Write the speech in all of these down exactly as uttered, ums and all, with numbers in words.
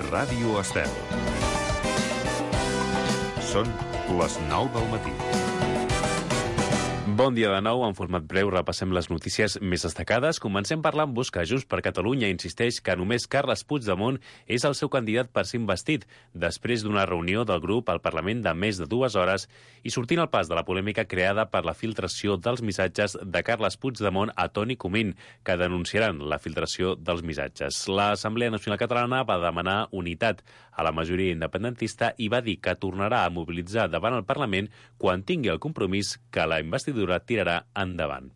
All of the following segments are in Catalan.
Ràdio Estel. Són les nou del matí. Bon dia de nou. En format breu repassem les notícies més destacades. Comencem parlant amb que Junts per Catalunya insisteix que només Carles Puigdemont és el seu candidat per ser investit, després d'una reunió del grup al Parlament de més de dues hores i sortint al pas de la polèmica creada per la filtració dels missatges de Carles Puigdemont a Toni Comín, que denunciaran la filtració dels missatges. L'Assemblea Nacional Catalana va demanar unitat a la majoria independentista i va dir que tornarà a mobilitzar davant el Parlament quan tingui el compromís que la investidura tirarà endavant.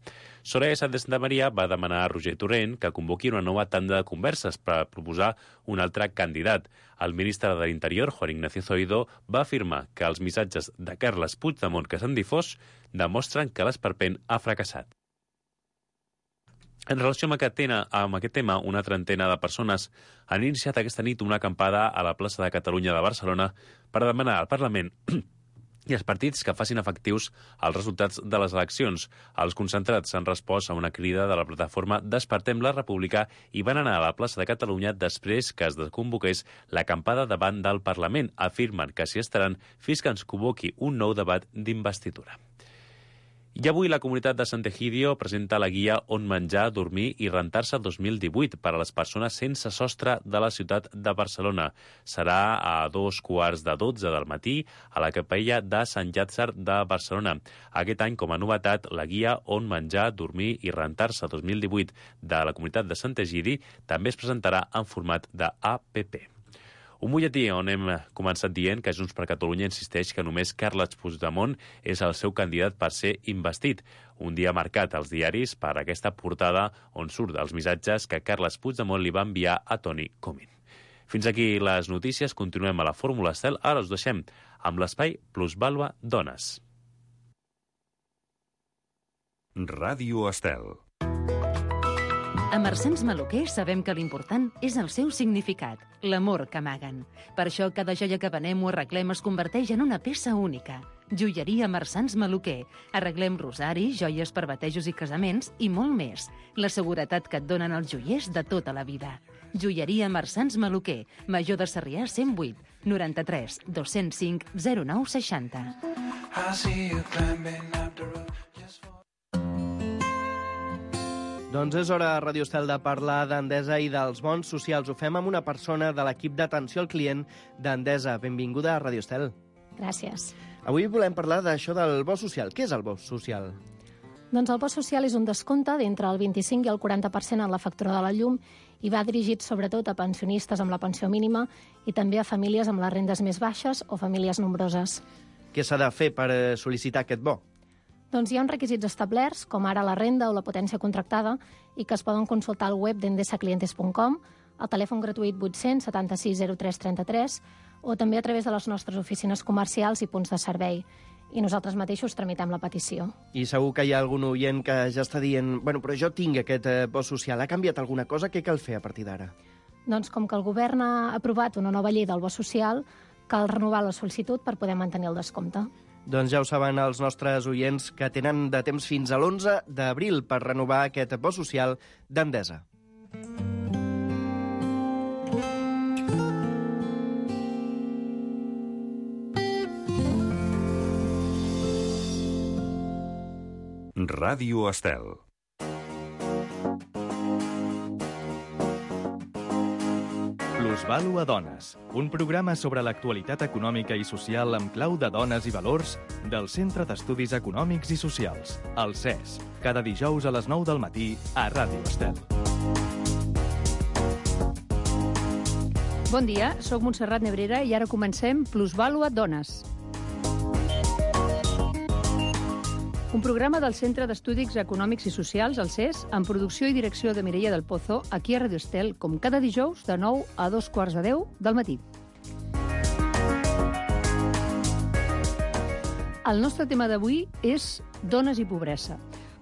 Soraya Sáenz de Santamaría va demanar a Roger Torrent que convoqui una nova tanda de converses per proposar un altre candidat. El ministre de l'Interior, Juan Ignacio Zoido, va afirmar que els missatges de Carles Puigdemont que s'han difós demostren que l'esperpent ha fracassat. En relació amb aquest, tema, amb aquest tema, una trentena de persones han iniciat aquesta nit una acampada a la plaça de Catalunya de Barcelona per demanar al Parlament i els partits que facin efectius els resultats de les eleccions. Els concentrats han respost a una crida de la plataforma Despertem la República i van anar a la plaça de Catalunya després que es desconvoqués l'acampada davant del Parlament. Afirmen que s'hi estaran fins que ens convoqui un nou debat d'investidura. I avui la comunitat de Sant'Egidio presenta la guia On menjar, dormir i rentar-se dos mil divuit per a les persones sense sostre de la ciutat de Barcelona. Serà a dos quarts de dotze del matí a la capella de Sant Llàtzer de Barcelona. Aquest any, com a novetat, la guia On menjar, dormir i rentar-se dos mil divuit de la comunitat de Sant'Egidi també es presentarà en format de A P P. Un butlletí on hem començat dient que Junts per Catalunya insisteix que només Carles Puigdemont és el seu candidat per ser investit. Un dia marcat als diaris per aquesta portada on surt els missatges que Carles Puigdemont li va enviar a Toni Comín. Fins aquí les notícies. Continuem a la Fórmula Estel. Ara us deixem amb l'espai Plusvàlua Dones. Ràdio Estel. A Marsans Maluquer sabem que l'important és el seu significat, l'amor que amaguen. Per això cada joia que venem o arreglem es converteix en una peça única. Joieria Marsans Maluquer. Arreglem rosaris, joies per batejos i casaments i molt més. La seguretat que et donen els joiers de tota la vida. Joieria Marsans Maluquer. Major de Sarrià cent vuit, noranta-tres, dos-cents cinc, zero nou seixanta. Doncs és hora a Ràdio Estel de parlar d'Endesa i dels bons socials. Ho fem amb una persona de l'equip d'atenció al client d'Endesa. Benvinguda a Ràdio Estel. Gràcies. Avui volem parlar d'això del bo social. Què és el bo social? Doncs el bo social és un descompte d'entre el vint-i-cinc i el quaranta per cent en la factura de la llum i va dirigit sobretot a pensionistes amb la pensió mínima i també a famílies amb les rendes més baixes o famílies nombroses. Què s'ha de fer per sol·licitar aquest bo? Doncs hi ha uns requisits establerts, com ara la renda o la potència contractada, i que es poden consultar al web d'endesa clientes punt com, al telèfon gratuït vuit-cents setanta-sis zero tres trenta-tres, o també a través de les nostres oficines comercials i punts de servei. I nosaltres mateixos tramitem la petició. I segur que hi ha algun oient que ja està dient bueno, però jo tinc aquest bo social. Ha canviat alguna cosa? Què cal fer a partir d'ara? Doncs com que el govern ha aprovat una nova llei del bo social, cal renovar la sol·licitud per poder mantenir el descompte. Doncs ja ho saben els nostres oients que tenen de temps fins a l'onze d'abril per renovar aquest bo social d'Endesa. Ràdio Estel. Plusvàlua Dones, un programa sobre l'actualitat econòmica i social amb clau de dones i valors del Centre d'Estudis Econòmics i Socials, el C E S, cada dijous a les nou del matí a Ràdio Estel. Bon dia, sóc Montserrat Nebrera i ara comencem Plusvàlua Dones. Un programa del Centre d'Estudis Econòmics i Socials, el C E S, amb producció i direcció de Mireia del Pozo, aquí a Ràdio Estel, com cada dijous, de nou a dos quarts de deu del matí. El nostre tema d'avui és dones i pobresa,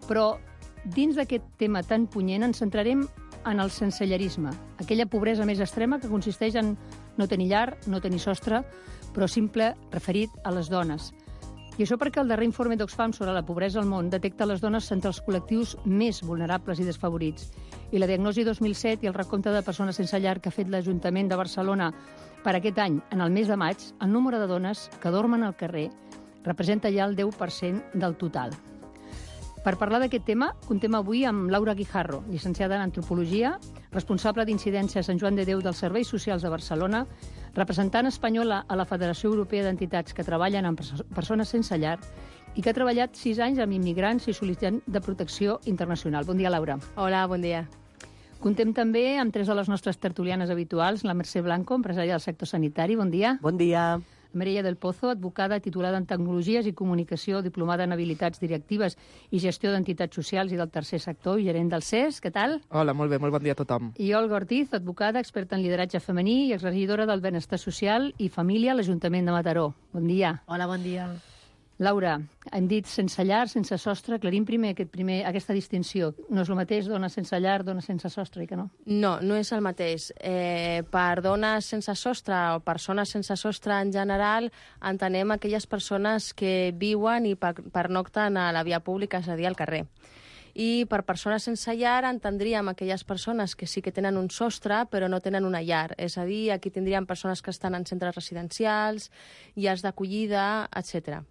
però dins d'aquest tema tan punyent ens centrarem en el sensellerisme, aquella pobresa més extrema que consisteix en no tenir llar, no tenir sostre, però simple referit a les dones. I això perquè el darrer informe d'Oxfam sobre la pobresa al món detecta les dones entre els col·lectius més vulnerables i desfavorits. I la diagnosi dos mil set i el recompte de persones sense llar que ha fet l'Ajuntament de Barcelona per aquest any, en el mes de maig, el número de dones que dormen al carrer representa ja el deu per cent del total. Per parlar d'aquest tema, contem avui amb Laura Guijarro, llicenciada en Antropologia, responsable d'incidència a Sant Joan de Déu dels Serveis Socials de Barcelona, representant espanyola a la Federació Europea d'Entitats que treballen amb persones sense llar i que ha treballat sis anys amb immigrants i sol·licitants de protecció internacional. Bon dia, Laura. Hola, bon dia. Contem també amb tres de les nostres tertulianes habituals, la Mercè Blanco, empresària del sector sanitari. Bon dia. Bon dia. Mireia del Pozo, advocada titulada en Tecnologies i Comunicació, diplomada en Habilitats Directives i Gestió d'Entitats Socials i del Tercer Sector i gerent del C E S. Què tal? Hola, molt bé, molt bon dia a tothom. I Olga Ortiz, advocada, experta en lideratge femení i exregidora del Benestar Social i Família a l'Ajuntament de Mataró. Bon dia. Hola, bon dia. Laura, hem dit sense llar, sense sostre. Aclarim primer, aquest primer aquesta distinció. No és el mateix dona sense llar, dona sense sostre, i que no? No, no és el mateix. Eh, per dones sense sostre o persones sense sostre en general, entenem aquelles persones que viuen i pernocten a la via pública, és a dir, al carrer. I per persones sense llar entendríem aquelles persones que sí que tenen un sostre però no tenen una llar. És a dir, aquí tindríem persones que estan en centres residencials, llars d'acollida, etcètera.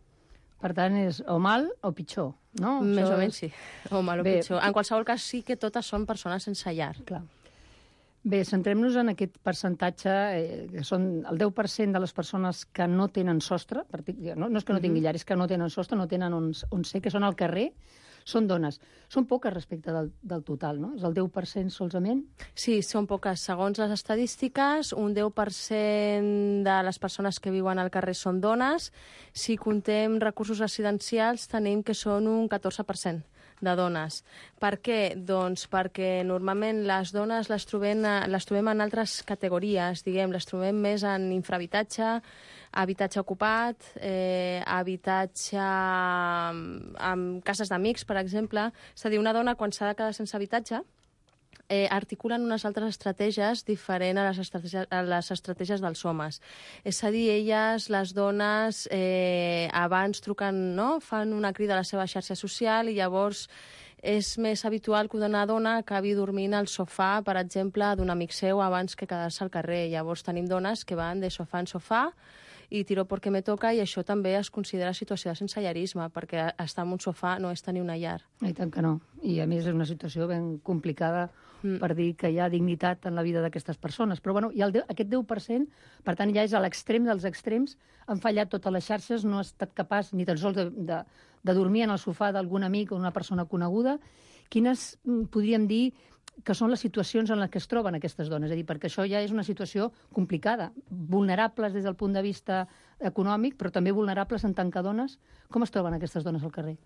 Per tant, és o mal o pitjor, no? Més Això o menys, és... sí. O mal o Bé, pitjor. En qualsevol cas, sí que totes són persones sense llar. Clar. Bé, centrem-nos en aquest percentatge, eh, que són el deu per cent de les persones que no tenen sostre, no, no és que no tingui llar, és que no tenen sostre, no tenen on, on ser, que són al carrer, són dones. Són poques respecte del, del total, no? És el deu per cent solament? Sí, són poques. Segons les estadístiques, un deu per cent de les persones que viuen al carrer són dones. Si contem recursos residencials, tenim que són un catorze per cent de dones. Per què? Doncs perquè normalment les dones les trobem, les trobem en altres categories, diguem, les trobem més en infrahabitatge, habitatge ocupat, eh, habitatge amb cases d'amics, per exemple. És a dir, una dona, quan s'ha de quedar sense habitatge, eh, articulen unes altres estratègies diferents a les estratègies, a les estratègies dels homes. És a dir, elles, les dones, eh, abans truquen, no?, fan una crida a la seva xarxa social i llavors és més habitual que una dona acabi dormint al sofà, per exemple, d'un amic seu abans que quedar-se al carrer. Llavors tenim dones que van de sofà en sofà i tiro perquè me toca, i això també es considera situació de sensellarisme, perquè estar en un sofà no és tenir una llar. I tant que no. I a més és una situació ben complicada mm. per dir que hi ha dignitat en la vida d'aquestes persones. Però bueno, i el de, aquest deu per cent, per tant, ja és a l'extrem dels extrems, han fallat totes les xarxes, no ha estat capaç ni tan sols de, de, de dormir en el sofà d'algun amic o una persona coneguda. Quines, podríem dir, que són les situacions en les que es troben aquestes dones? És a dir, perquè això ja és una situació complicada, vulnerables des del punt de vista econòmic, però també vulnerables en tant que dones. Com es troben aquestes dones al carrer?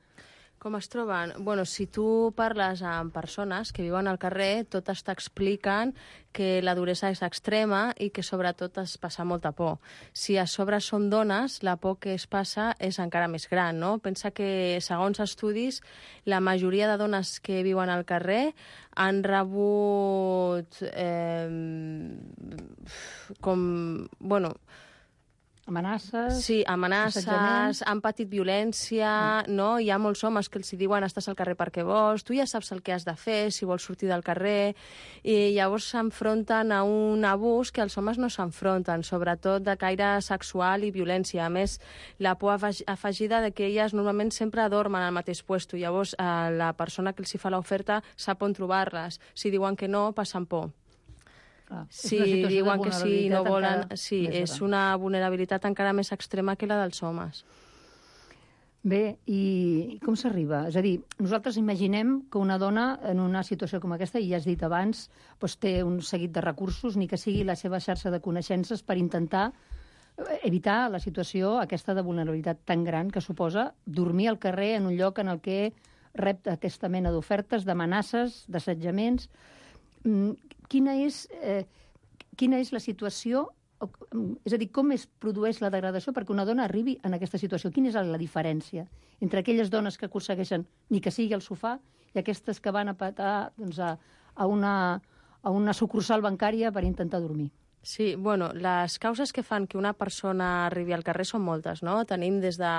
Com es troben? Bueno, si tu parles amb persones que viuen al carrer, totes t'expliquen que la duresa és extrema i que sobretot es passa molta por. Si a sobre són dones, la por que es passa és encara més gran, no? Pensa que, segons estudis, la majoria de dones que viuen al carrer han rebut eh, com... bueno... Amenaces? Sí, amenaces, han patit violència, mm. no? Hi ha molts homes que els diuen estàs al carrer perquè vols, tu ja saps el que has de fer si vols sortir del carrer, i llavors s'enfronten a un abús que els homes no s'enfronten, sobretot de caire sexual i violència. A més, la por afegida de que elles normalment sempre dormen al mateix puesto, llavors eh, la persona que els hi fa l'oferta sap on trobar-les. Si diuen que no, passen por. Ah, si diuen que sí no volen... Sí, és una vulnerabilitat encara més extrema que la dels homes. Bé, i com s'arriba? És a dir, nosaltres imaginem que una dona en una situació com aquesta, i ja has dit abans, doncs té un seguit de recursos, ni que sigui la seva xarxa de coneixences, per intentar evitar la situació aquesta de vulnerabilitat tan gran que suposa dormir al carrer en un lloc en el que rep aquesta mena d'ofertes, d'amenaces, d'assetjaments. Quina és, eh, quina és la situació, és a dir, com es produeix la degradació perquè una dona arribi en aquesta situació? Quina és la diferència entre aquelles dones que aconsegueixen ni que sigui al sofà i aquestes que van a patar doncs, a, a, una, a una sucursal bancària per intentar dormir? Sí, bueno, les causes que fan que una persona arribi al carrer són moltes, no? Tenim des de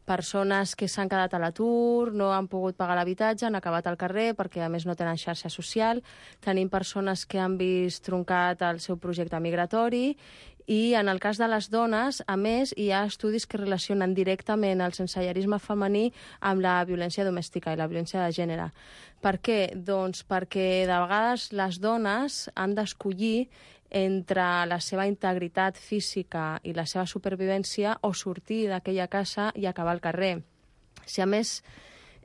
persones que s'han quedat a l'atur, no han pogut pagar l'habitatge, han acabat al carrer perquè a més no tenen xarxa social. Tenim persones que han vist truncat el seu projecte migratori i en el cas de les dones, a més, hi ha estudis que relacionen directament el sensellarisme femení amb la violència domèstica i la violència de gènere. Per què? Doncs perquè de vegades les dones han d'escollir entre la seva integritat física i la seva supervivència o sortir d'aquella casa i acabar al carrer. Si a més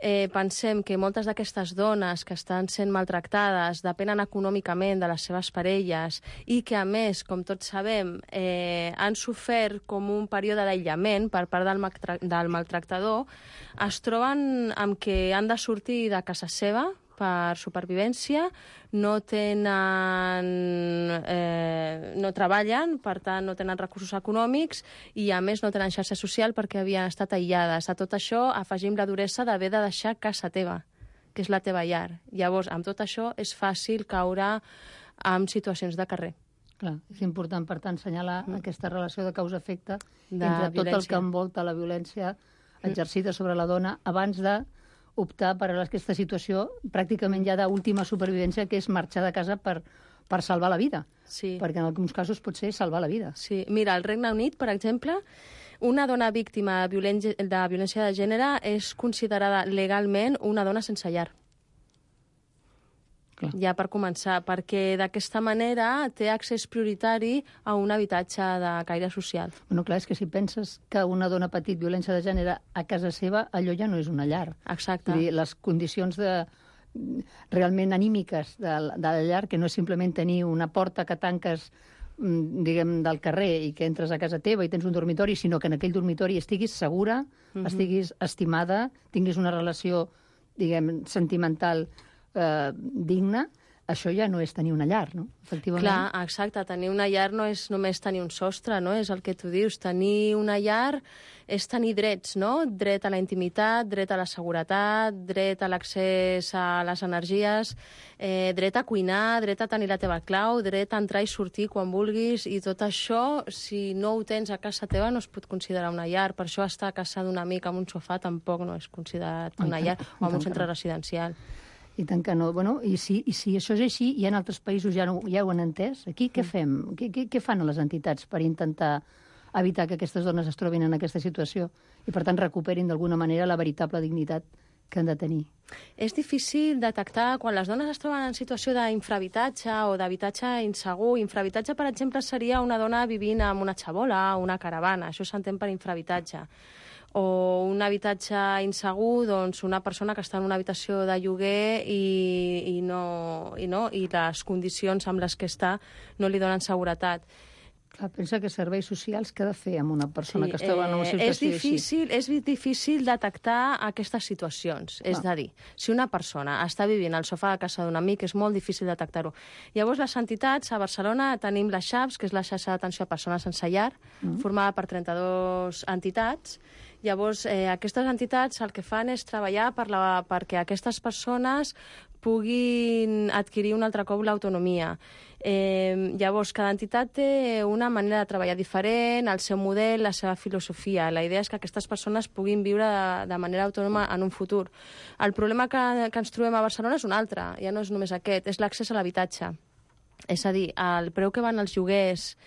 eh, pensem que moltes d'aquestes dones que estan sent maltractades depenen econòmicament de les seves parelles i que a més, com tots sabem, eh, han sofert com un període d'aïllament per part del, del maltractador, es troben amb que han de sortir de casa seva per supervivència, no tenen, eh, no treballen, per tant no tenen recursos econòmics i a més no tenen xarxa social perquè havien estat aïllades. A tot això afegim la duresa d'haver de deixar casa teva, que és la teva llar. Llavors, amb tot això és fàcil caure en situacions de carrer. Clar, és important, per tant, assenyalar mm. aquesta relació de causa-efecte De entre tot violència. el que envolta la violència exercida sobre la dona abans de optar per aquesta situació pràcticament ja d'última supervivència, que és marxar de casa per, per salvar la vida. Sí. Perquè en alguns casos pot ser salvar la vida. Sí. Mira, al Regne Unit, per exemple, una dona víctima de violència, de violència de gènere és considerada legalment una dona sense llar. Clar. Ja per començar, perquè d'aquesta manera té accés prioritari a un habitatge de caire social. Bueno, clar, és que si penses que una dona ha patit violència de gènere a casa seva, allò ja no és una llar. Exacte. Vull dir, les condicions de, realment anímiques de, de la llar, que no és simplement tenir una porta que tanques diguem, del carrer i que entres a casa teva i tens un dormitori, sinó que en aquell dormitori estiguis segura, mm-hmm. estiguis estimada, tinguis una relació, diguem, sentimental eh, digna, això ja no és tenir una llar, no? Efectivament. Clar, exacte. Tenir una llar no és només tenir un sostre, no? És el que tu dius. Tenir una llar és tenir drets, no? Dret a la intimitat, dret a la seguretat, dret a l'accés a les energies, eh, dret a cuinar, dret a tenir la teva clau, dret a entrar i sortir quan vulguis, i tot això, si no ho tens a casa teva, no es pot considerar una llar. Per això estar a casa d'un amic amb un sofà tampoc no és considerat una llar, o en un centre residencial. I tant que no. Bueno, i, si, I si això és així, i en altres països ja, no, ja ho han entès, aquí què fem? Què, què, què fan les entitats per intentar evitar que aquestes dones es trobin en aquesta situació i, per tant, recuperin d'alguna manera la veritable dignitat que han de tenir? És difícil detectar quan les dones es troben en situació d'infrahabitatge o d'habitatge insegur. Infrahabitatge, per exemple, seria una dona vivint en una xabola o una caravana. Això s'entén per infrahabitatge. O un habitatge insegur, doncs una persona que està en una habitació de lloguer i, i, no, i, no, i les condicions amb les que està no li donen seguretat. Clar, pensa que serveis socials què ha de fer amb una persona sí, que es troba en una situació és difícil, així? És difícil detectar aquestes situacions. Clar. És a dir, si una persona està vivint al sofà de casa d'un amic, és molt difícil detectar-ho. Llavors, les entitats, a Barcelona tenim la XAPS, que és la xarxa d'atenció a persones sense llar, mm. formada per trenta-dues entitats. Llavors, eh, aquestes entitats el que fan és treballar per la, perquè aquestes persones puguin adquirir un altre cop l'autonomia. Eh, llavors, cada entitat té una manera de treballar diferent, el seu model, la seva filosofia. La idea és que aquestes persones puguin viure de, de manera autònoma en un futur. El problema que, que ens trobem a Barcelona és un altre, ja no és només aquest, és l'accés a l'habitatge. És a dir, el preu que van els lloguers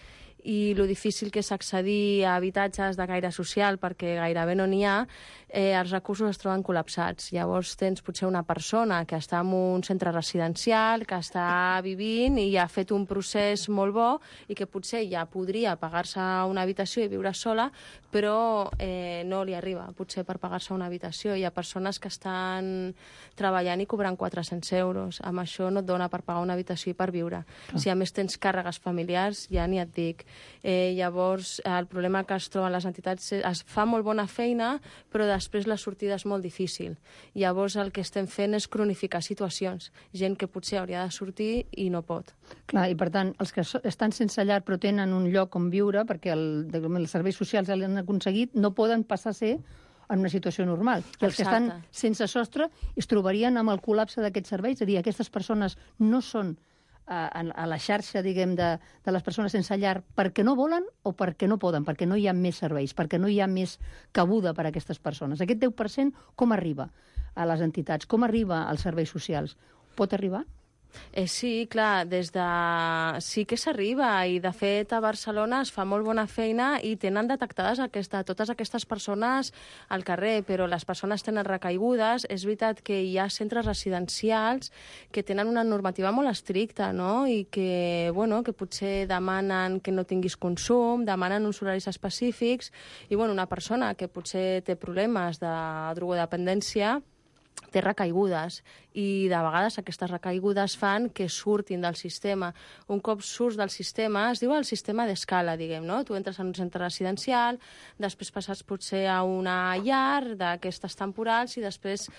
i lo difícil que és accedir a habitatges de gaire social perquè gairebé no n'hi ha, eh, els recursos es troben col·lapsats. Llavors tens potser una persona que està en un centre residencial, que està vivint i ha fet un procés molt bo i que potser ja podria pagar-se una habitació i viure sola, però eh, no li arriba potser per pagar-se una habitació. Hi ha persones que estan treballant i cobrant quatre-cents euros. Amb això no et dona per pagar una habitació i per viure. Ah. Si a més tens càrregues familiars, ja ni et dic. Eh, llavors, el problema que es troben les entitats és, es fa molt bona feina, però després la sortida és molt difícil. Llavors, el que estem fent és cronificar situacions. Gent que potser hauria de sortir i no pot. Clar, i per tant, els que estan sense llar però tenen un lloc on viure, perquè el, els serveis socials ja l'han aconseguit, no poden passar a ser en una situació normal. I els Exacte. Que estan sense sostre es trobarien amb el col·lapse d'aquests serveis. És a dir, aquestes persones no són a, a la xarxa, diguem, de, de les persones sense llar perquè no volen o perquè no poden, perquè no hi ha més serveis, perquè no hi ha més cabuda per a aquestes persones. Aquest deu per cent com arriba a les entitats? Com arriba als serveis socials? Pot arribar? Eh, sí, clar, des de... sí que s'arriba i, de fet, a Barcelona es fa molt bona feina i tenen detectades aquesta, totes aquestes persones al carrer, però les persones tenen recaigudes. És veritat que hi ha centres residencials que tenen una normativa molt estricta, no?, i que, bueno, que potser demanen que no tinguis consum, demanen uns horaris específics, i, bueno, una persona que potser té problemes de drogodependència té recaigudes i de vegades aquestes recaigudes fan que surtin del sistema. Un cop surts del sistema, es diu el sistema d'escala, diguem, no? Tu entres en un centre residencial, després passes potser a una llar d'aquestes temporals i després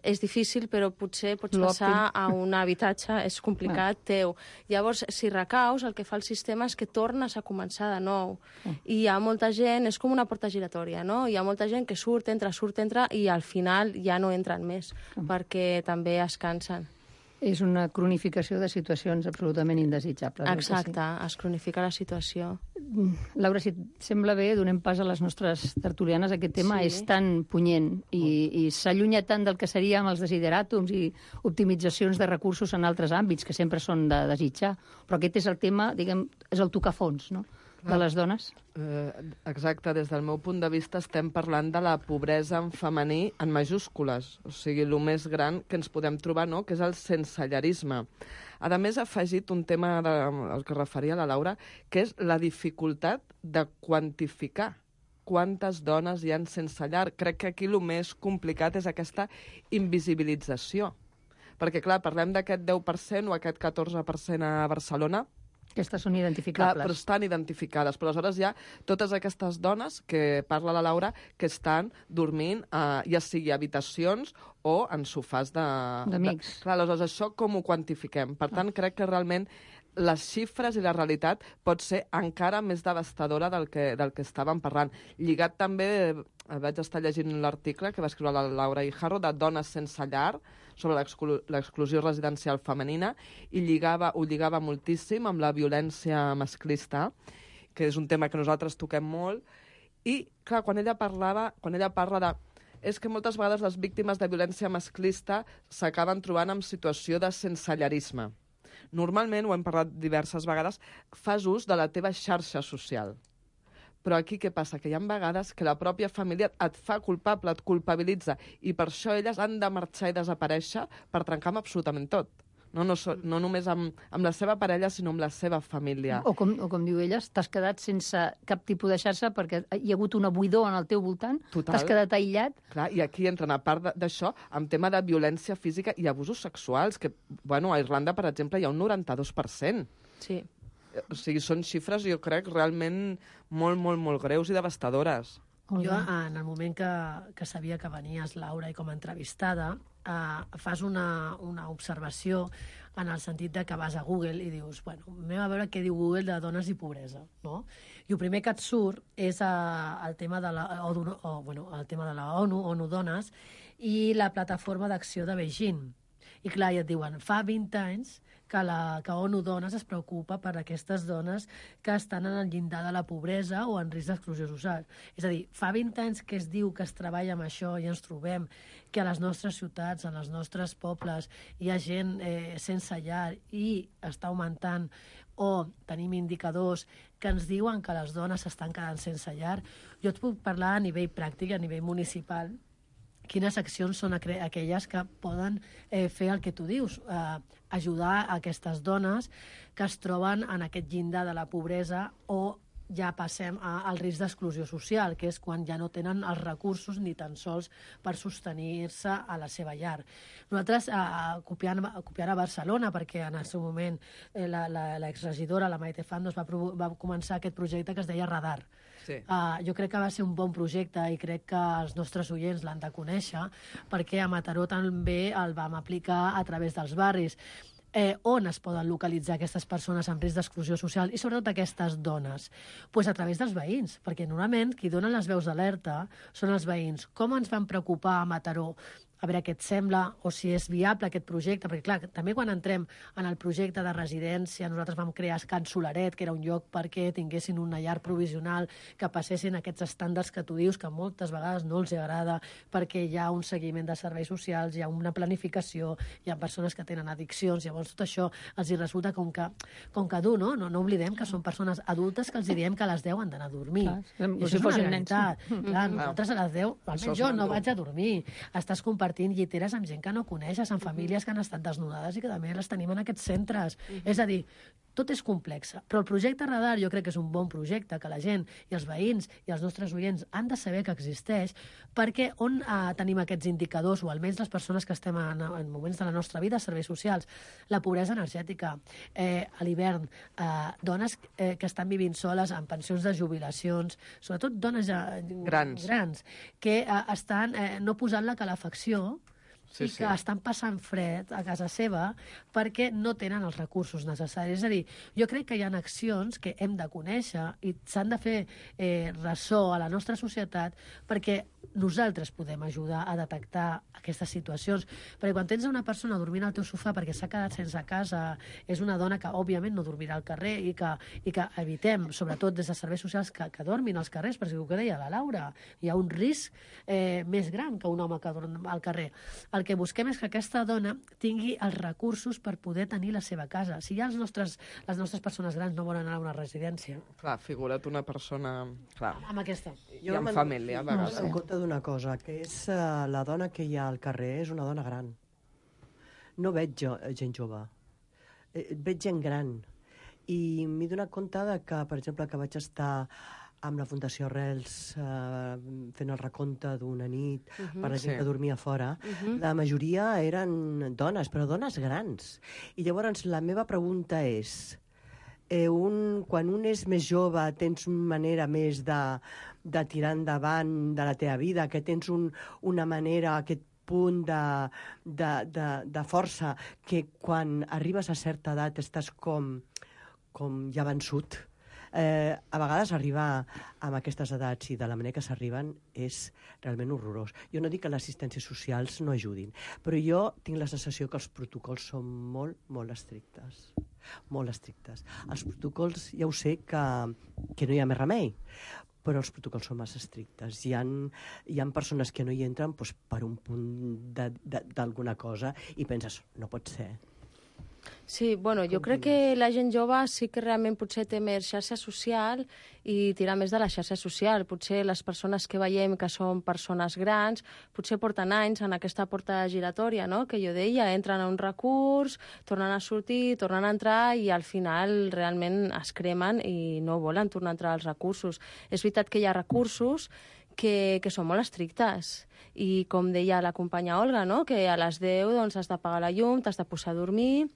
és difícil, però potser pots passar a un habitatge, és complicat, teu. Llavors, si recaus, el que fa el sistema és que tornes a començar de nou. I hi ha molta gent, és com una porta giratòria, no? Hi ha molta gent que surt, entra, surt, entra, i al final ja no entren més, perquè també es cansen. És una cronificació de situacions absolutament indesitjables. Exacte, es cronifica la situació. Laura, si et sembla bé, donem pas a les nostres tertulianes. Aquest tema sí. és tan punyent i, i s'allunya tant del que seria amb els desideràtums i optimitzacions de recursos en altres àmbits, que sempre són de desitjar. Però aquest és el tema, diguem, és el tocafons, no?, de les dones. Eh, exacte, des del meu punt de vista estem parlant de la pobresa en femení en majúscules, o sigui, el més gran que ens podem trobar, no?, que és el sensellarisme. A més, ha afegit un tema de, al que referia la Laura, que és la dificultat de quantificar quantes dones hi ha sense llar. Crec que aquí el més complicat és aquesta invisibilització. Perquè, clar, parlem d'aquest deu per cent o aquest catorze per cent a Barcelona. Aquestes són identificables. Clar, però estan identificades. Però aleshores hi ha totes aquestes dones, que parla la Laura, que estan dormint, eh, ja sigui habitacions o en sofàs de... d'amics. Clar, aleshores això com ho quantifiquem? Per tant, crec que realment les xifres i la realitat pot ser encara més devastadora del que, del que estàvem parlant. Lligat també, vaig estar llegint l'article que va escriure la Laura Ijarro de Dones sense llar, sobre l'exclusió residencial femenina, i lligava, ho lligava moltíssim amb la violència masclista, que és un tema que nosaltres toquem molt, i, clar, quan ella parlava, quan ella parla de... és que moltes vegades les víctimes de violència masclista s'acaben trobant en situació de sensellarisme. Normalment, ho hem parlat diverses vegades, fas ús de la teva xarxa social. Però aquí què passa? Que hi ha vegades que la pròpia família et fa culpable, et culpabilitza, i per això elles han de marxar i desaparèixer per trencar amb absolutament tot. No, no, so, no només amb, amb la seva parella, sinó amb la seva família. O com, o com diu ella, t'has quedat sense cap tipus de xarxa perquè hi ha hagut una buidor en el teu voltant, t'has quedat aïllat. Clar, i aquí entren, a part d'això, amb tema de violència física i abusos sexuals, que, bueno, a Irlanda, per exemple, hi ha un noranta-dos per cent. Sí. O sigui, són xifres, jo crec, realment molt, molt, molt greus i devastadores. Jo, en el moment que, que sabia que venies, Laura, i com a entrevistada, eh, fas una, una observació en el sentit de que vas a Google i dius, bueno, anem a veure què diu Google de dones i pobresa, no? I el primer que et surt és eh, el tema de la, o, o, bueno, el tema de la ONU, ONU Dones, i la plataforma d'acció de Beijing. I clar, ja et diuen, fa vint anys que la que ONU Dones es preocupa per aquestes dones que estan en el llindar de la pobresa o en risc d'exclusió social. És a dir, fa vint anys que es diu que es treballa amb això i ens trobem que a les nostres ciutats, en els nostres pobles, hi ha gent eh, sense llar i està augmentant, o tenim indicadors que ens diuen que les dones s'estan quedant sense llar. Jo et puc parlar a nivell pràctic, a nivell municipal, quines accions són aquelles que poden eh, fer el que tu dius, eh, ajudar a aquestes dones que es troben en aquest llindar de la pobresa o ja passem a, al risc d'exclusió social, que és quan ja no tenen els recursos ni tan sols per sostenir-se a la seva llar. Nosaltres, eh, copiant, copiant a Barcelona, perquè en el seu moment eh, l'exregidora, la, la Maite Fandos, va, va començar aquest projecte que es deia Radar. Sí. Uh, jo crec que va ser un bon projecte i crec que els nostres oients l'han de conèixer, perquè a Mataró també el vam aplicar a través dels barris. Eh, on es poden localitzar aquestes persones amb risc d'exclusió social i sobretot aquestes dones? Pues a través dels veïns, perquè normalment qui donen les veus d'alerta són els veïns. Com ens van preocupar a Mataró a veure què et sembla, o si és viable aquest projecte, perquè clar, també quan entrem en el projecte de residència, nosaltres vam crear Can Solaret, que era un lloc perquè tinguessin una llar provisional, que passessin aquests estàndards que tu dius, que moltes vegades no els agrada, perquè hi ha un seguiment de serveis socials, hi ha una planificació, hi ha persones que tenen addiccions, llavors tot això els hi resulta com que, com que dur, no? No, no oblidem que són persones adultes que els diem que a les deu han d'anar a dormir. Clar, I això si és una fossin realitat. nens. Clar, nosaltres a les deu, almenys jo, no mandur. vaig a dormir. Estàs compartint lliteres amb gent que no coneixes, amb famílies que han estat desnudades i que també les tenim en aquests centres. És a dir, tot és complex, però el projecte Radar jo crec que és un bon projecte, que la gent i els veïns i els nostres oients han de saber que existeix, perquè on eh, tenim aquests indicadors, o almenys les persones que estem en, en moments de la nostra vida, serveis socials, la pobresa energètica, eh, a l'hivern, eh, dones eh, que estan vivint soles amb pensions de jubilacions, sobretot dones eh, Grans. grans que eh, estan eh, no posant la calefacció, Sí, i sí. que estan passant fred a casa seva perquè no tenen els recursos necessaris. És a dir, jo crec que hi ha accions que hem de conèixer i s'han de fer eh, ressò a la nostra societat perquè nosaltres podem ajudar a detectar aquestes situacions. Perquè quan tens una persona dormint al teu sofà perquè s'ha quedat sense casa, és una dona que òbviament no dormirà al carrer i que, i que evitem, sobretot des de serveis socials, que, que dormin als carrers, perquè el que deia la Laura, hi ha un risc eh, més gran que un home que dorm al carrer. El que busquem és que aquesta dona tingui els recursos per poder tenir la seva casa. Si ja els nostres, les nostres persones grans no volen anar a una residència. Clar, figura't una persona... Clar. Amb aquesta. I amb família, a vegades. En compte d'una cosa, que és uh, la dona que hi ha al carrer és una dona gran. No veig jo, gent jove. Eh, veig gent gran. I m'he donat compte de que, per exemple, que vaig estar amb la Fundació Arrels eh, fent el recompte d'una nit uh -huh, per la gent sí. que dormia fora, Uh -huh. la majoria eren dones, però dones grans. I llavors la meva pregunta és, eh, un, quan un és més jove tens una manera més de, de tirar endavant de la teva vida, que tens un, una manera, aquest punt de, de, de, de força, que quan arribes a certa edat estàs com, com ja vençut. Eh, a vegades arribar amb aquestes edats i de la manera que s'arriben és realment horrorós. Jo no dic que les assistències socials no ajudin, però jo tinc la sensació que els protocols són molt, molt estrictes. Molt estrictes. Els protocols, ja ho sé que, que no hi ha més remei, però els protocols són massa estrictes. Hi ha, hi ha persones que no hi entren doncs, per un punt d'alguna cosa i penses, no pot ser. Sí, bueno, jo crec que la gent jove sí que realment potser té més xarxa social i tirar més de la xarxa social. Potser les persones que veiem que són persones grans, potser porten anys en aquesta porta giratòria, no?, que jo deia, entren a un recurs, tornen a sortir, tornen a entrar i al final realment es cremen i no volen tornar a entrar als recursos. És veritat que hi ha recursos que, que són molt estrictes. I com deia la companya Olga, no?, que a les deu doncs, has d'apagar la llum, t'has de posar a dormir,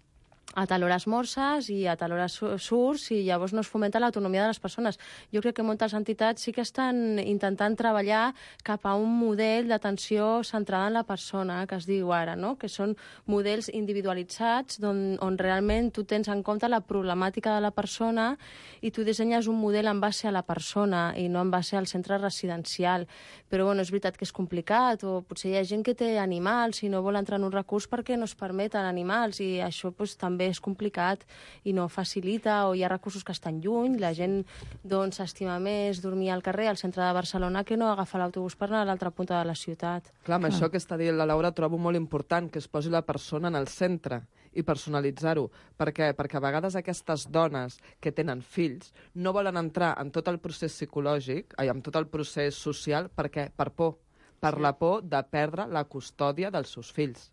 a tal hora esmorces i a tal hora surts i llavors no es fomenta l'autonomia de les persones. Jo crec que moltes entitats sí que estan intentant treballar cap a un model d'atenció centrada en la persona, que es diu ara, no?, que són models individualitzats on, on realment tu tens en compte la problemàtica de la persona i tu dissenyes un model en base a la persona i no en base al centre residencial. Però bueno, és veritat que és complicat, o potser hi ha gent que té animals i no vol entrar en un recurs perquè no es permeten animals i això pues, també és complicat i no facilita, o hi ha recursos que estan lluny, la gent doncs s'estima més dormir al carrer, al centre de Barcelona, que no agafar l'autobús per anar a l'altra punta de la ciutat. Clar, amb això que està dient la Laura trobo molt important que es posi la persona en el centre i personalitzar-ho. Per què? Perquè a vegades aquestes dones que tenen fills no volen entrar en tot el procés psicològic, ai, en tot el procés social, per què? Per por. Per sí. la por de perdre la custòdia dels seus fills.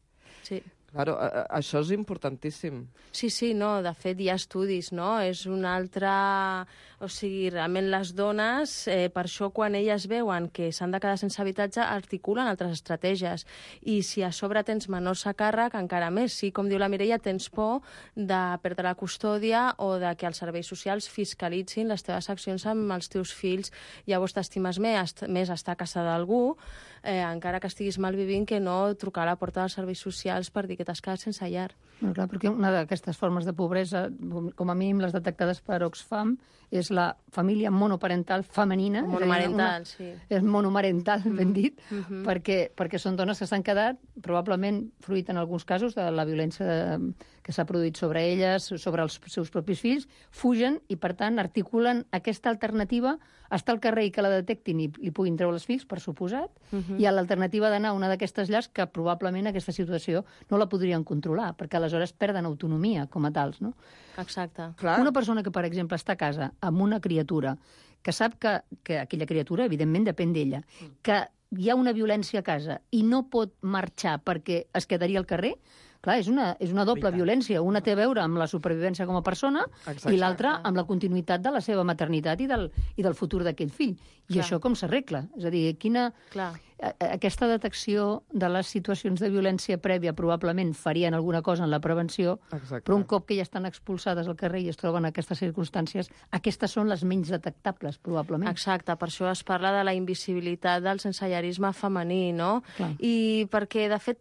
Sí. Claro, això és importantíssim. Sí, sí, no, de fet hi ha estudis, no? És una altra... O sigui, realment les dones, eh, per això quan elles veuen que s'han de quedar sense habitatge, articulen altres estratègies. I si a sobre tens menors a càrrec, encara més. Si, com diu la Mireia, tens por de perdre la custòdia o de que els serveis socials fiscalitzin les teves accions amb els teus fills. Llavors t'estimes més, més estar a casa d'algú, eh, encara que estiguis malvivint, que no trucar a la porta dels serveis socials per dir que t'has quedat sense llar. No, clar, perquè una d'aquestes formes de pobresa, com a mínim les detectades per Oxfam, és la família monoparental femenina. Monomarental, és sí. És monomarental, mm. ben dit, mm -hmm. perquè, perquè són dones que s'han quedat, probablement fruit en alguns casos de la violència de, que s'ha produït sobre elles, sobre els seus propis fills, fugen i, per tant, articulen aquesta alternativa, estar al carrer i que la detectin i li puguin treure els fills, per suposat, uh -huh. i a l'alternativa d'anar a una d'aquestes llars que probablement aquesta situació no la podrien controlar, perquè aleshores perden autonomia com a tals, no? Exacte. Clar. Una persona que, per exemple, està a casa amb una criatura, que sap que, que aquella criatura, evidentment, depèn d'ella, que hi ha una violència a casa i no pot marxar perquè es quedaria al carrer, clar, és una, és una doble violència. Una té a veure amb la supervivència com a persona Exacte. I l'altra amb la continuïtat de la seva maternitat i del, i del futur d'aquell fill. I clar. Això com s'arregla? És a dir, quina... Clar. Aquesta detecció de les situacions de violència prèvia probablement farien alguna cosa en la prevenció, Exacte. Però un cop que ja estan expulsades al carrer i es troben en aquestes circumstàncies, aquestes són les menys detectables, probablement. Exacte, per això es parla de la invisibilitat del sensellarisme femení, no? Clar. I perquè, de fet,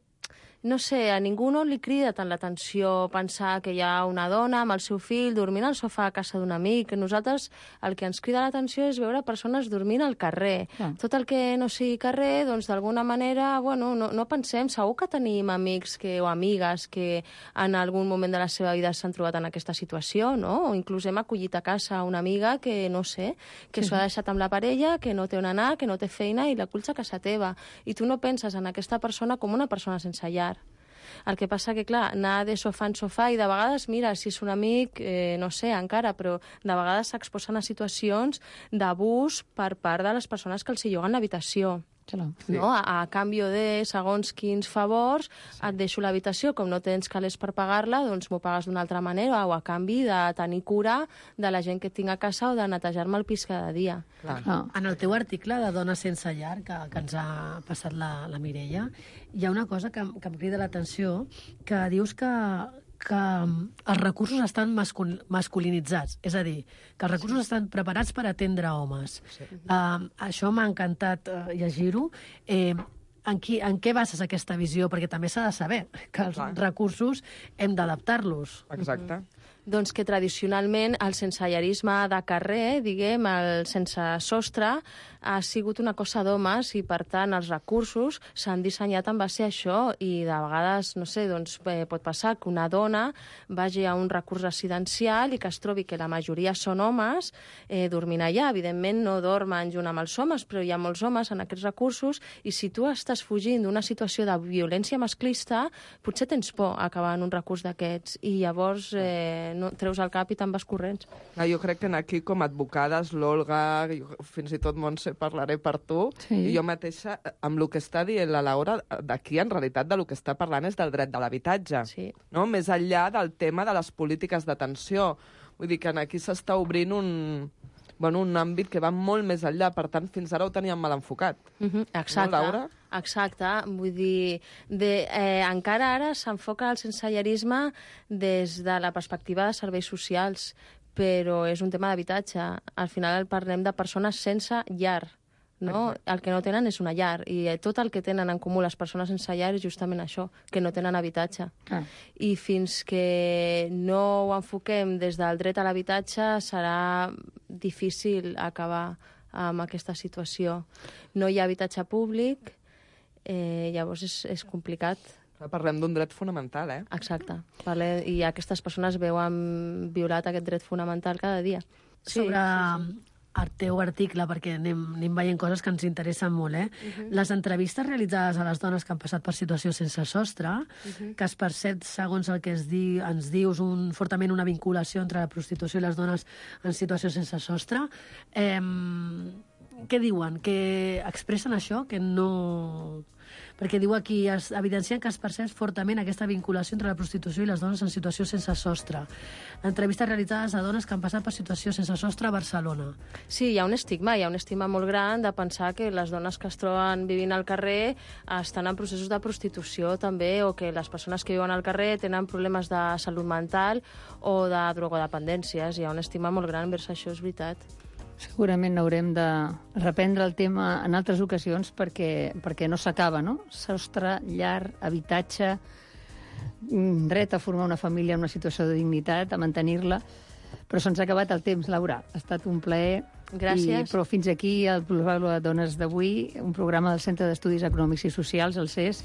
no sé, a ningú no li crida tant l'atenció pensar que hi ha una dona amb el seu fill dormint al sofà a casa d'un amic. Nosaltres el que ens crida l'atenció és veure persones dormint al carrer. Ah. Tot el que no sigui carrer, doncs d'alguna manera, bueno, no, no pensem, segur que tenim amics que, o amigues que en algun moment de la seva vida s'han trobat en aquesta situació, no? O inclús hem acollit a casa una amiga que, no sé, que s'ho sí. ha deixat amb la parella, que no té on anar, que no té feina i l'aculls a casa teva. I tu no penses en aquesta persona com una persona sense llar. El que passa que, clar, anar de sofà en sofà i de vegades, mira, si és un amic, eh, no sé encara, però de vegades s'exposen a situacions d'abús per part de les persones que els hi lloguen l'habitació. Sí. No? A, a canvi de segons quins favors, sí. et deixo l'habitació, com no tens calés per pagar-la, doncs m'ho pagues d'una altra manera, o a canvi de tenir cura de la gent que tinc a casa o de netejar-me el pis cada dia. Clar. Ah. En el teu article de Dones sense llar, que, que ens ha passat la, la Mireia, hi ha una cosa que, que em crida l'atenció, que dius que que els recursos estan mascul masculinitzats, és a dir, que els recursos sí. estan preparats per atendre homes. Sí. Uh, això m'ha encantat uh, llegir-ho. Eh, en, qui, en què bases aquesta visió? Perquè també s'ha de saber que els Clar. recursos hem d'adaptar-los. Exacte. Mm-hmm. Doncs que tradicionalment el sensellarisme de carrer, diguem, el sense sostre, ha sigut una cosa d'homes i, per tant, els recursos s'han dissenyat en base a això i de vegades, no sé, doncs eh, pot passar que una dona vagi a un recurs residencial i que es trobi que la majoria són homes eh, dormint allà. Evidentment no dormen junt amb els homes, però hi ha molts homes en aquests recursos i si tu estàs fugint d'una situació de violència masclista, potser tens por a acabar en un recurs d'aquests i llavors eh, no, treus el cap i te'n vas corrents. Ah, jo crec que aquí com a advocades, l'Olga, fins i tot Montse, parlaré per tu, sí. i jo mateixa, amb el que està dient la Laura, d'aquí en realitat del que està parlant és del dret de l'habitatge, sí. no? Més enllà del tema de les polítiques d'atenció. Vull dir que aquí s'està obrint un... Bueno, un àmbit que va molt més enllà, per tant, fins ara ho teníem mal enfocat. Mm-hmm. Exacte, no, Laura? Exacte. Vull dir, de, eh, encara ara s'enfoca el sensellarisme des de la perspectiva de serveis socials, però és un tema d'habitatge. Al final parlem de persones sense llar, no? Exacte. El que no tenen és una llar, i tot el que tenen en comú les persones sense llar és justament això, que no tenen habitatge. Ah. I fins que no ho enfoquem des del dret a l'habitatge serà difícil acabar amb aquesta situació. No hi ha habitatge públic, eh, llavors és, és complicat. Parlem d'un dret fonamental, eh? Exacte. Parle... I aquestes persones veuen violat aquest dret fonamental cada dia. Sí, sobre sí, sí. el teu article, perquè anem, anem veient coses que ens interessen molt, eh? Uh-huh. Les entrevistes realitzades a les dones que han passat per situació sense sostre, uh-huh. que es percep, segons el que es di, ens dius, un, fortament una vinculació entre la prostitució i les dones en situació sense sostre, eh, què diuen? Que expressen això? Que no... Perquè diu aquí, es evidencien que es percep fortament aquesta vinculació entre la prostitució i les dones en situació sense sostre. Entrevistes realitzades a dones que han passat per situació sense sostre a Barcelona. Sí, hi ha un estigma, hi ha un estigma molt gran de pensar que les dones que es troben vivint al carrer estan en processos de prostitució també, o que les persones que viuen al carrer tenen problemes de salut mental o de drogodependències. Hi ha un estigma molt gran vers això, és veritat. Segurament haurem de reprendre el tema en altres ocasions perquè, perquè no s'acaba, no? Sostre, llar, habitatge, dret a formar una família en una situació de dignitat, a mantenir-la. Però se'ns ha acabat el temps, Laura. Ha estat un plaer. Gràcies. I, però fins aquí el Plusvàlua de Dones d'avui, un programa del Centre d'Estudis Econòmics i Socials, el C E S,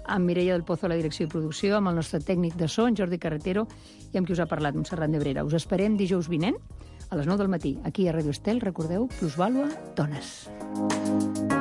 amb Mireia del Pozo a la direcció i producció, amb el nostre tècnic de so, en Jordi Carretero, i amb qui us ha parlat, Montserrat Nebrera. Us esperem dijous vinent, a les nou del matí, aquí a Ràdio Estel. Recordeu, Plusvàlua Dones.